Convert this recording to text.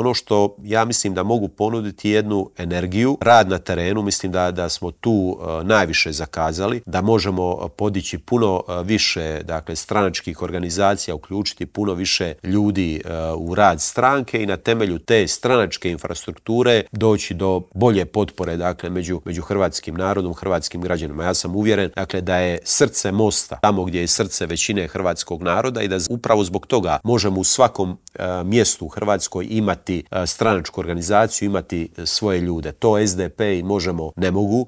Ono što ja mislim da mogu ponuditi jednu energiju, rad na terenu, mislim da smo tu najviše zakazali, da možemo podići puno više stranačkih organizacija, uključiti puno više ljudi u rad stranke i na temelju te stranačke infrastrukture doći do bolje potpore među hrvatskim narodom, hrvatskim građanima. Ja sam uvjeren da je srce Mosta tamo gdje je srce većine hrvatskog naroda i da upravo zbog toga možemo u svakom mjestu u Hrvatskoj imati stranačku organizaciju, imati svoje ljude. To SDP i Možemo ne mogu.